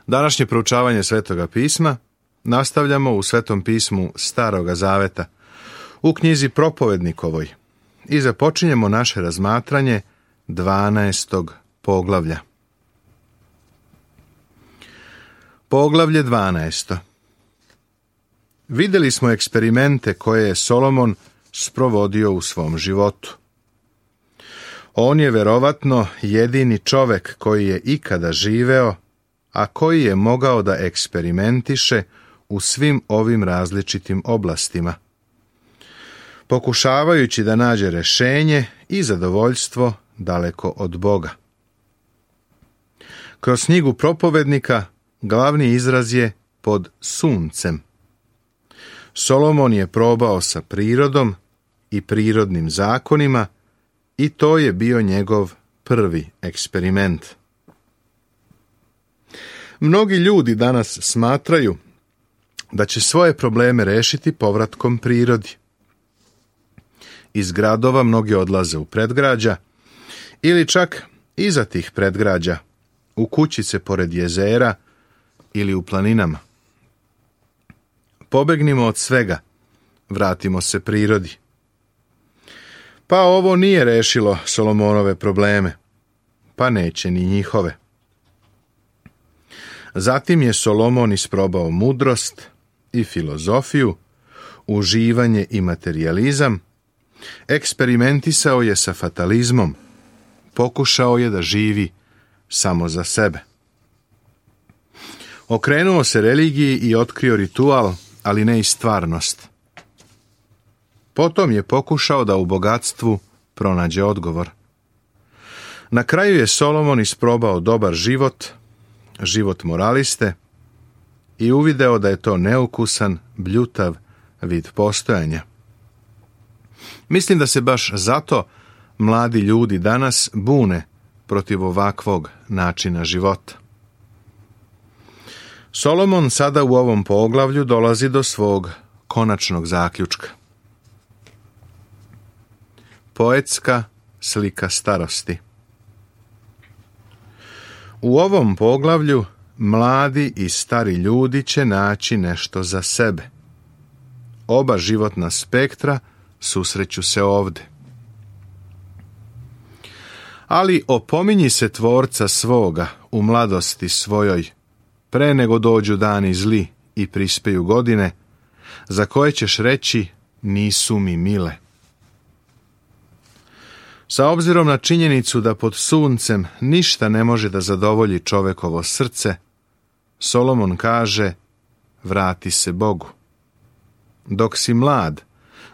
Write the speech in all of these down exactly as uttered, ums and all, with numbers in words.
Današnje proučavanje Svetoga pisma nastavljamo u Svetom pismu Staroga zaveta, u knjizi Propovednikovoj, i započinjemo naše razmatranje dvanaestog poglavlja. Poglavlje dvanaesto. Vidjeli smo eksperimente koje je Solomon sprovodio u svom životu. On je verovatno jedini čovek koji je ikada živeo, a koji je mogao da eksperimentiše u svim ovim različitim oblastima, pokušavajući da nađe rešenje i zadovoljstvo daleko od Boga. Kroz knjigu Propovednika glavni izraz je pod suncem. Solomon je probao sa prirodom i prirodnim zakonima i to je bio njegov prvi eksperiment. Mnogi ljudi danas smatraju da će svoje probleme rešiti povratkom prirodi. Iz gradova mnogi odlaze u predgrađa ili čak iza tih predgrađa, u kućice pored jezera ili u planinama. Pobegnimo od svega, vratimo se prirodi. Pa ovo nije rešilo Solomonove probleme, pa neće ni njihove. Zatim je Solomon isprobao mudrost i filozofiju, uživanje i materijalizam, eksperimentisao je sa fatalizmom, pokušao je da živi samo za sebe. Okrenuo se religiji i otkrio ritual, ali ne i stvarnost. Potom je pokušao da u bogatstvu pronađe odgovor. Na kraju je Solomon isprobao dobar život, život moraliste, i uvideo da je to neukusan, bljutav vid postojanja. Mislim da se baš zato mladi ljudi danas bune protiv ovakvog načina života. Solomon sada u ovom poglavlju dolazi do svog konačnog zaključka. Poetska slika starosti. U ovom poglavlju mladi i stari ljudi će naći nešto za sebe. Oba životna spektra susreću se ovde. Ali opominji se tvorca svoga u mladosti svojoj, pre nego dođu dani zli i prispeju godine, za koje ćeš reći nisu mi mile. Sa obzirom na činjenicu da pod suncem ništa ne može da zadovolji čovekovo srce, Solomon kaže, vrati se Bogu. Dok si mlad,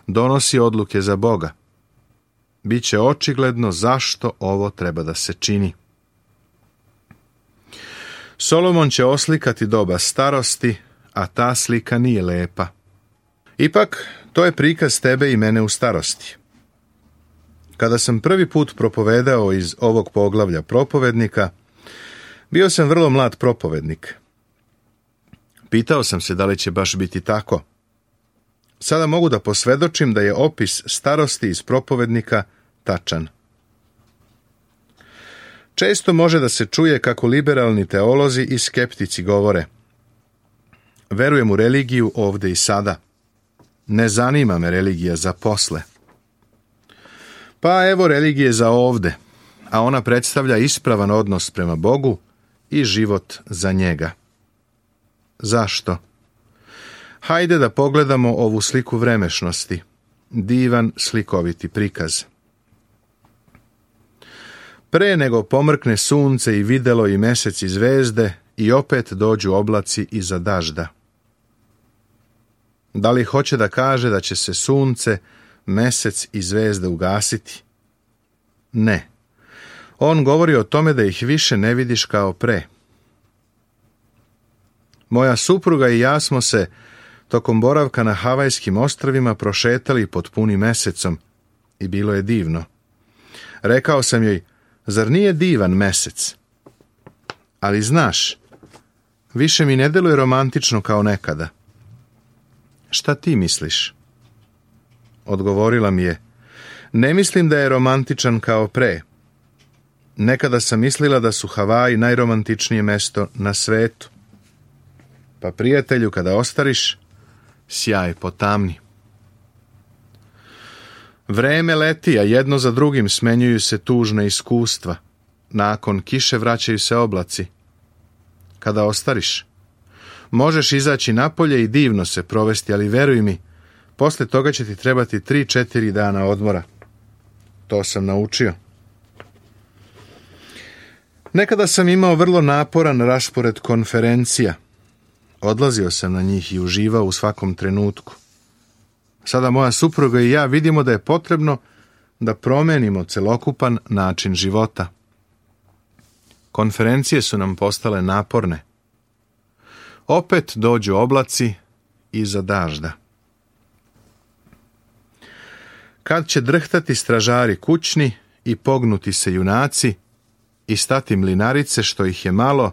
donosi odluke za Boga. Biće očigledno zašto ovo treba da se čini. Solomon će oslikati doba starosti, a ta slika nije lepa. Ipak, to je prikaz tebe i mene u starosti. Kada sam prvi put propovedao iz ovog poglavlja Propovednika, bio sam vrlo mlad propovednik. Pitao sam se da li će baš biti tako. Sada mogu da posvedočim da je opis starosti iz Propovednika tačan. Često može da se čuje kako liberalni teolozi i skeptici govore: verujem u religiju ovde i sada. Ne zanima me religija za posle. Pa evo religije za ovde, a ona predstavlja ispravan odnos prema Bogu i život za njega. Zašto? Hajde da pogledamo ovu sliku vremešnosti, divan slikoviti prikaz. Pre nego pomrkne sunce i videlo i mesec i zvezde, i opet dođu oblaci iza dažda. Da li hoće da kaže da će se sunce, mesec i zvezde ugasiti? Ne. On govori o tome da ih više ne vidiš kao pre. Moja supruga i ja smo se tokom boravka na Havajskim ostrvima prošetali pod punim mesecom i bilo je divno. Rekao sam joj, zar nije divan mesec? Ali znaš, više mi ne deluje romantično kao nekada. Šta ti misliš? Odgovorila mi je, ne mislim da je romantičan kao pre. Nekada sam mislila da su Havaji najromantičnije mesto na svetu. Pa prijatelju, kada ostariš, sjaj potamni. Vreme leti, a jedno za drugim smenjuju se tužna iskustva. Nakon kiše vraćaju se oblaci. Kada ostariš, možeš izaći napolje i divno se provesti, ali veruj mi, posle toga će ti trebati tri, četiri dana odmora. To sam naučio. Nekada sam imao vrlo naporan raspored konferencija. Odlazio sam na njih i uživao u svakom trenutku. Sada moja supruga i ja vidimo da je potrebno da promenimo celokupan način života. Konferencije su nam postale naporne. Opet dođu oblaci iza dažda. Kad će drhtati stražari kućni i pognuti se junaci i stati mlinarice što ih je malo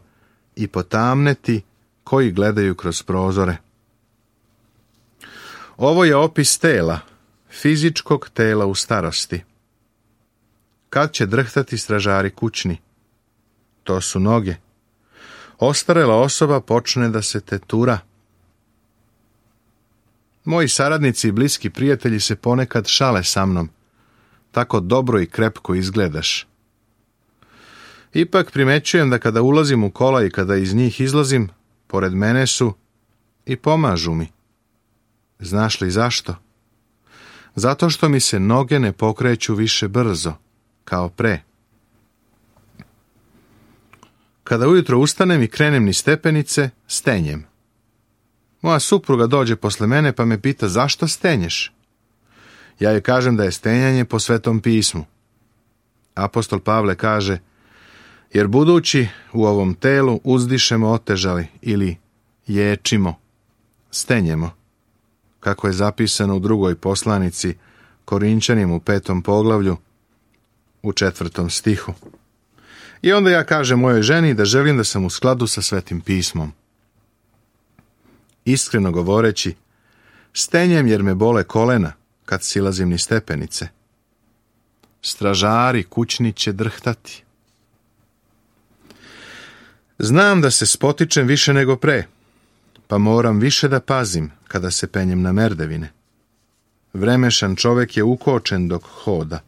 i potamneti koji gledaju kroz prozore. Ovo je opis tela, fizičkog tela u starosti. Kad će drhtati stražari kućni? To su noge. Ostarela osoba počne da se tetura. Moji saradnici i bliski prijatelji se ponekad šale sa mnom. Tako dobro i krepko izgledaš. Ipak primećujem da kada ulazim u kola i kada iz njih izlazim, pored mene su i pomažu mi. Znaš li zašto? Zato što mi se noge ne pokreću više brzo, kao pre. Kada ujutro ustanem i krenem niz stepenice, stenjem. Moja supruga dođe posle mene pa me pita zašto stenješ. Ja joj kažem da je stenjanje po Svetom pismu. Apostol Pavle kaže, jer budući u ovom telu uzdišemo otežali ili ječimo, stenjemo, kako je zapisano u drugoj poslanici Korinčanima u petom poglavlju u četvrtom stihu. I onda ja kažem mojoj ženi da želim da sam u skladu sa Svetim pismom. Iskreno govoreći, stenjem jer me bole kolena kad silazim niz stepenice. Stražari kućni će drhtati. Znam da se spotičem više nego pre, pa moram više da pazim kada se penjem na merdevine. Vremešan čovek je ukočen dok hoda.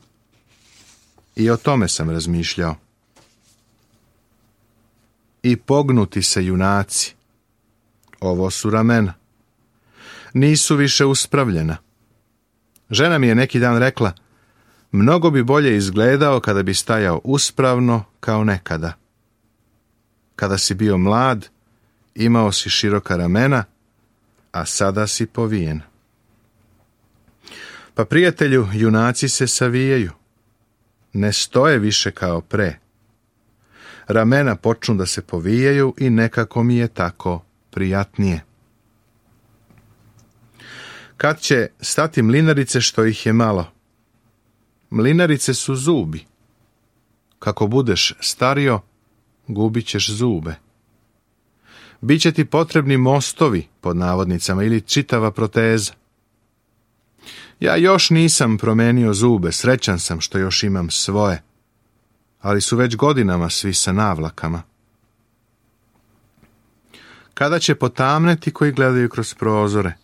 I o tome sam razmišljao. I pognuti se junaci. Ovo su ramena. Nisu više uspravljena. Žena mi je neki dan rekla, mnogo bi bolje izgledao kada bi stajao uspravno kao nekada. Kada si bio mlad, imao si široka ramena, a sada si povijen. Pa prijatelju, junaci se savijaju. Ne stoje više kao pre. Ramena počnu da se povijaju i nekako mi je tako prijatnije. Kad će stati mlinarice što ih je malo? Mlinarice su zubi. Kako budeš stario, gubit ćeš zube. Biće ti potrebni mostovi, pod navodnicama, ili čitava proteza. Ja još nisam promenio zube, srećan sam što još imam svoje, ali su već godinama svi sa navlakama. Kada će potamneti koji gledaju kroz prozore?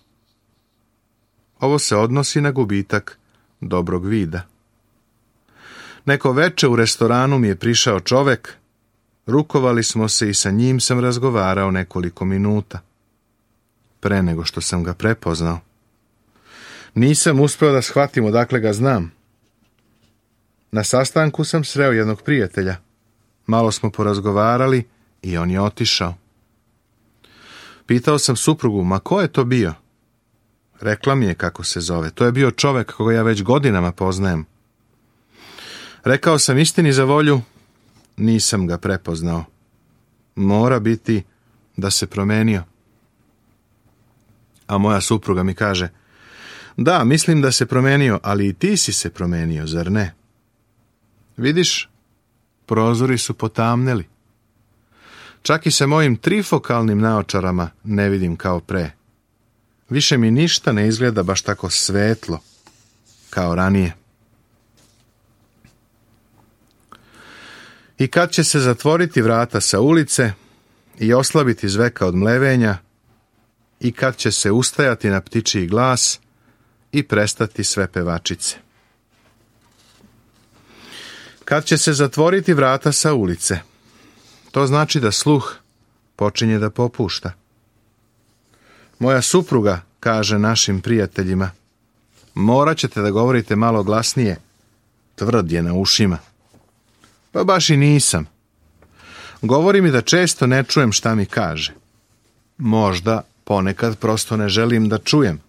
Ovo se odnosi na gubitak dobrog vida. Neko veče u restoranu mi je prišao čovek, rukovali smo se i sa njim sam razgovarao nekoliko minuta, pre nego što sam ga prepoznao. Nisam uspeo da shvatim odakle ga znam. Na sastanku sam sreo jednog prijatelja. Malo smo porazgovarali i on je otišao. Pitao sam suprugu, ma ko je to bio? Rekla mi je kako se zove. To je bio čovek koga ja već godinama poznajem. Rekao sam istini za volju, nisam ga prepoznao. Mora biti da se promenio. A moja supruga mi kaže, da, mislim da se promenio, ali i ti si se promenio, zar ne? Vidiš, prozori su potamneli. Čak i sa mojim trifokalnim naočarama ne vidim kao pre. Više mi ništa ne izgleda baš tako svetlo kao ranije. I kad će se zatvoriti vrata sa ulice i oslabiti zveka od mlevenja, i kad će se ustajati na ptičiji glas i prestati sve pevačice. Kad će se zatvoriti vrata sa ulice, to znači da sluh počinje da popušta. Moja supruga kaže našim prijateljima: morat ćete da govorite malo glasnije, tvrd je na ušima. Pa baš i nisam. Govori mi da često ne čujem šta mi kaže. Možda ponekad prosto ne želim da čujem.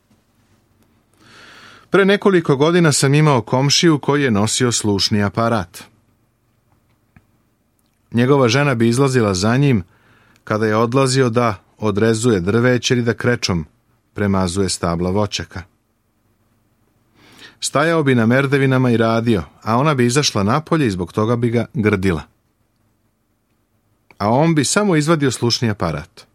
Pre nekoliko godina sam imao komšiju koji je nosio slušni aparat. Njegova žena bi izlazila za njim kada je odlazio da odrezuje drveće ili da krečom premazuje stabla voćaka. Stajao bi na merdevinama i radio, a ona bi izašla napolje i zbog toga bi ga grdila. A on bi samo izvadio slušni aparat.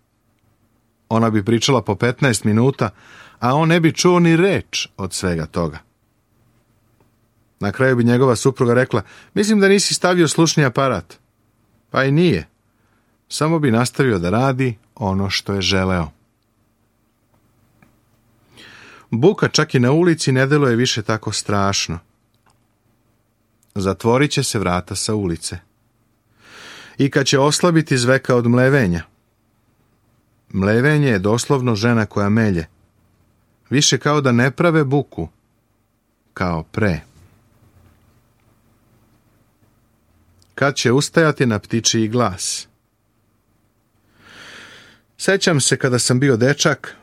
Ona bi pričala po petnaest minuta, a on ne bi čuo ni reč od svega toga. Na kraju bi njegova supruga rekla: mislim da nisi stavio slušni aparat. Pa i nije. Samo bi nastavio da radi ono što je želeo. Buka čak i na ulici ne deluje više tako strašno. Zatvorit će se vrata sa ulice. I kad će oslabiti zveka od mlevenja. Mlevenje je doslovno žena koja melje. Više kao da ne prave buku, kao pre. Kad će ustajati na ptičiji glas. Sećam se kada sam bio dečak,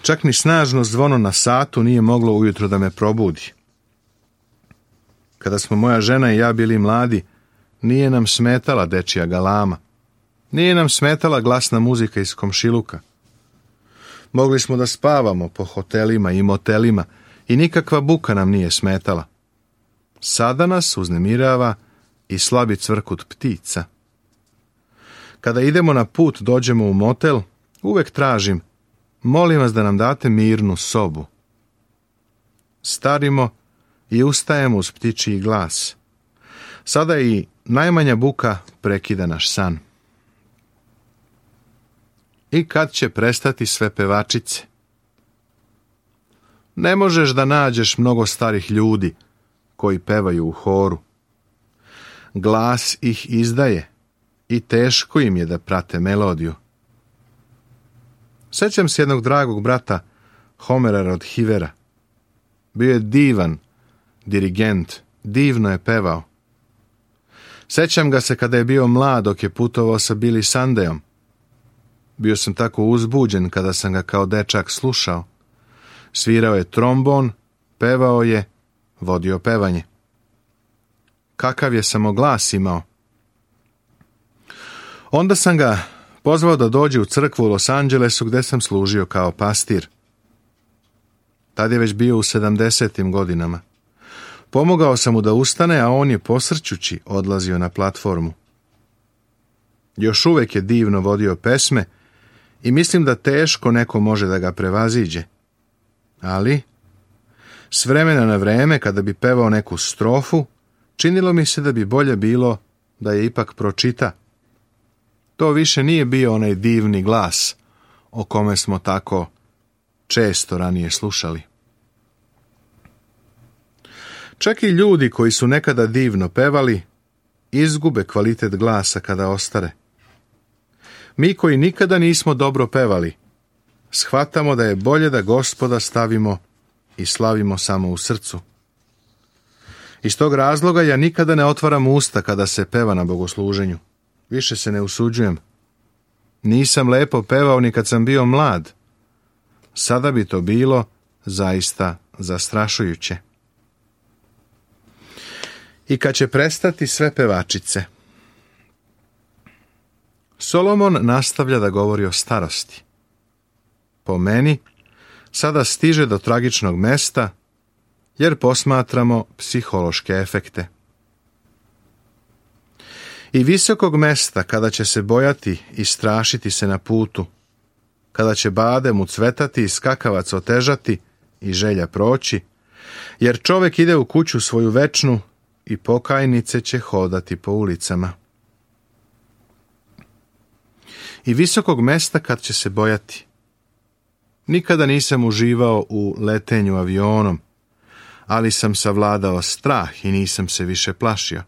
čak ni snažno zvono na satu nije moglo ujutro da me probudi. Kada smo moja žena i ja bili mladi, nije nam smetala dečija galama. Nije nam smetala glasna muzika iz komšiluka. Mogli smo da spavamo po hotelima i motelima i nikakva buka nam nije smetala. Sada nas uznemirava i slabi cvrkut ptica. Kada idemo na put, dođemo u motel, uvek tražim: molim vas da nam date mirnu sobu. Starimo i ustajemo uz ptičiji glas. Sada i najmanja buka prekida naš san. I kad će prestati sve pevačice? Ne možeš da nađeš mnogo starih ljudi koji pevaju u horu. Glas ih izdaje i teško im je da prate melodiju. Sećam se jednog dragog brata, Homera Rodhivera. Bio je divan dirigent, divno je pevao. Sećam ga se kada je bio mlad dok je putovao sa Billy Sundayom. Bio sam tako uzbuđen kada sam ga kao dečak slušao. Svirao je trombon, pevao je, vodio pevanje. Kakav je samo glas imao. Onda sam ga pozvao da dođe u crkvu u Los Angelesu gde sam služio kao pastir. Tad je već bio u sedamdesetim godinama. Pomogao sam mu da ustane, a on je posrćući odlazio na platformu. Još uvek je divno vodio pesme i mislim da teško neko može da ga prevaziđe. Ali, s vremena na vreme, kada bi pevao neku strofu, činilo mi se da bi bolje bilo da je ipak pročita. To više nije bio onaj divni glas o kome smo tako često ranije slušali. Čak i ljudi koji su nekada divno pevali, izgube kvalitet glasa kada ostare. Mi koji nikada nismo dobro pevali, shvatamo da je bolje da Gospoda stavimo i slavimo samo u srcu. Iz tog razloga ja nikada ne otvaram usta kada se peva na bogosluženju. Više se ne usuđujem. Nisam lepo pevao ni kad sam bio mlad. Sada bi to bilo zaista zastrašujuće. I kad će prestati sve pevačice. Solomon nastavlja da govori o starosti. Po meni, sada stiže do tragičnog mesta, jer posmatramo psihološke efekte. I visokog mesta kada će se bojati i strašiti se na putu, kada će badem ucvetati i skakavac otežati i želja proći, jer čovek ide u kuću svoju večnu i pokajnice će hodati po ulicama. I visokog mesta kad će se bojati. Nikada nisam uživao u letenju avionom, ali sam savladao strah i nisam se više plašio.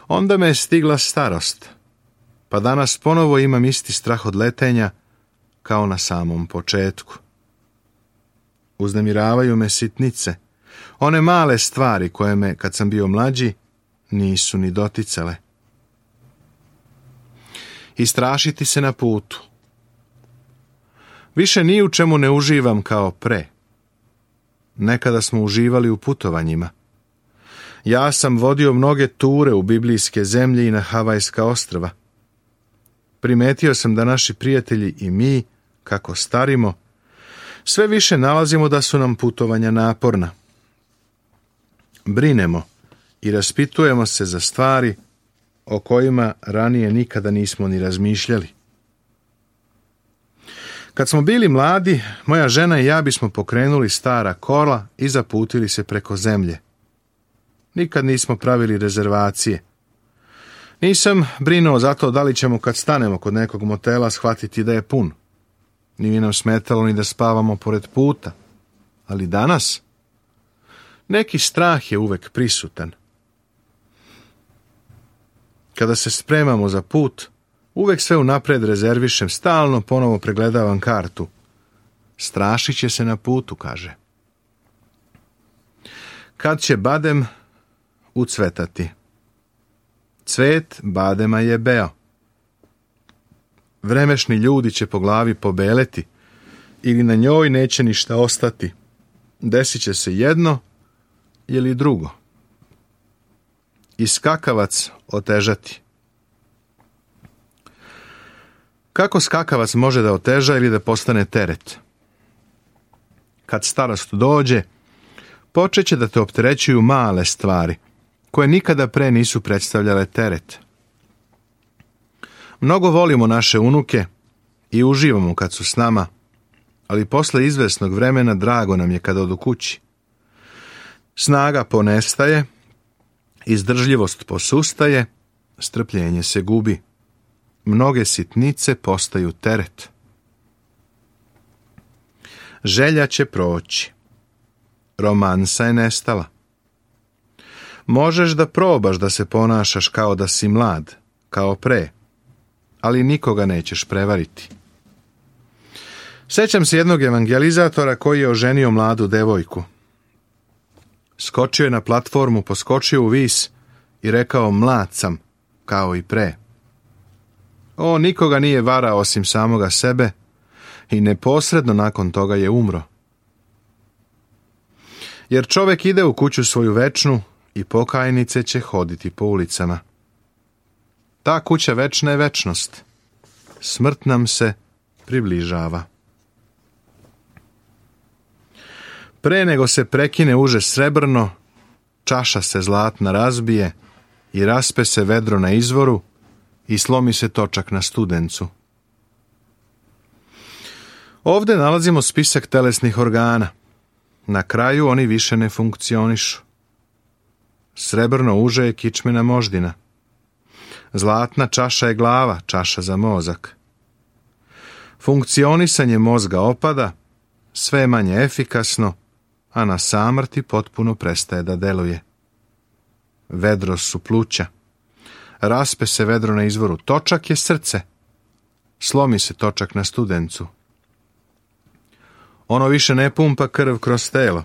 Onda me je stigla starost, pa danas ponovo imam isti strah od letenja kao na samom početku. Uznemiravaju me sitnice, one male stvari koje me, kad sam bio mlađi, nisu ni doticale. Istrašiti se na putu. Više ni u čemu ne uživam kao pre. Nekada smo uživali u putovanjima. Ja sam vodio mnoge ture u biblijske zemlje i na Havajska ostrva. Primetio sam da naši prijatelji i mi, kako starimo, sve više nalazimo da su nam putovanja naporna. Brinemo i raspitujemo se za stvari o kojima ranije nikada nismo ni razmišljali. Kad smo bili mladi, moja žena i ja bismo pokrenuli stara kola i zaputili se preko zemlje. Nikad nismo pravili rezervacije. Nisam brinuo za to da li ćemo kad stanemo kod nekog motela shvatiti da je pun. Nije nam smetalo ni da spavamo pored puta. Ali danas neki strah je uvek prisutan. Kada se spremamo za put, uvek sve unapred rezervišem, stalno ponovo pregledavam kartu. Strašit će se na putu, kaže. Kad će badem ucvetati? Cvet badema je beo. Vremešni ljudi će po glavi pobeleti ili na njoj neće ništa ostati. Desit će se jedno ili drugo. I skakavac otežati. Kako skakavac može da oteža ili da postane teret? Kad starost dođe, počet će da te opterećuju male stvari, koje nikada pre nisu predstavljale teret. Mnogo volimo naše unuke i uživamo kad su s nama, ali posle izvesnog vremena drago nam je kada odu kući. Snaga ponestaje, izdržljivost posustaje, strpljenje se gubi. Mnoge sitnice postaju teret. Želja će proći. Romansa je nestala. Možeš da probaš da se ponašaš kao da si mlad, kao pre, ali nikoga nećeš prevariti. Sećam se jednog evangelizatora koji je oženio mladu devojku. Skočio je na platformu, poskočio u vis i rekao: mlad sam, kao i pre. On nikoga nije varao osim samoga sebe i neposredno nakon toga je umro. Jer čovek ide u kuću svoju večnu i pokajnice će hoditi po ulicama. Ta kuća večna je večnost. Smrt nam se približava. Pre nego se prekine uže srebrno, čaša se zlatna razbije i raspe se vedro na izvoru i slomi se točak na studencu. Ovde nalazimo spisak telesnih organa. Na kraju oni više ne funkcionišu. Srebrno uže je kičmena moždina. Zlatna čaša je glava, čaša za mozak. Funkcionisanje mozga opada, sve je manje efikasno, a na samrti potpuno prestaje da deluje. Vedro su pluća. Raspe se vedro na izvoru. Točak je srce. Slomi se točak na studencu. Ono više ne pumpa krv kroz telo.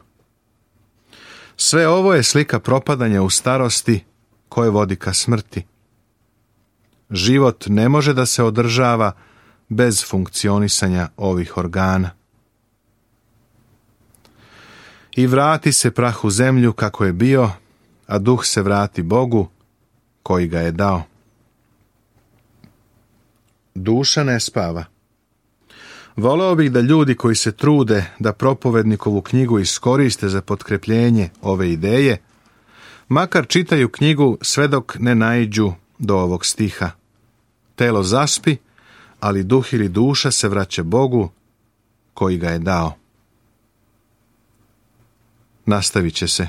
Sve ovo je slika propadanja u starosti koje vodi ka smrti. Život ne može da se održava bez funkcionisanja ovih organa. I vrati se prah u zemlju kako je bio, a duh se vrati Bogu koji ga je dao. Duša ne spava. Voleo bih da ljudi koji se trude da propovednikovu knjigu iskoriste za potkrepljenje ove ideje, makar čitaju knjigu sve dok ne naiđu do ovog stiha. Telo zaspi, ali duh ili duša se vraća Bogu koji ga je dao. Nastavit će se.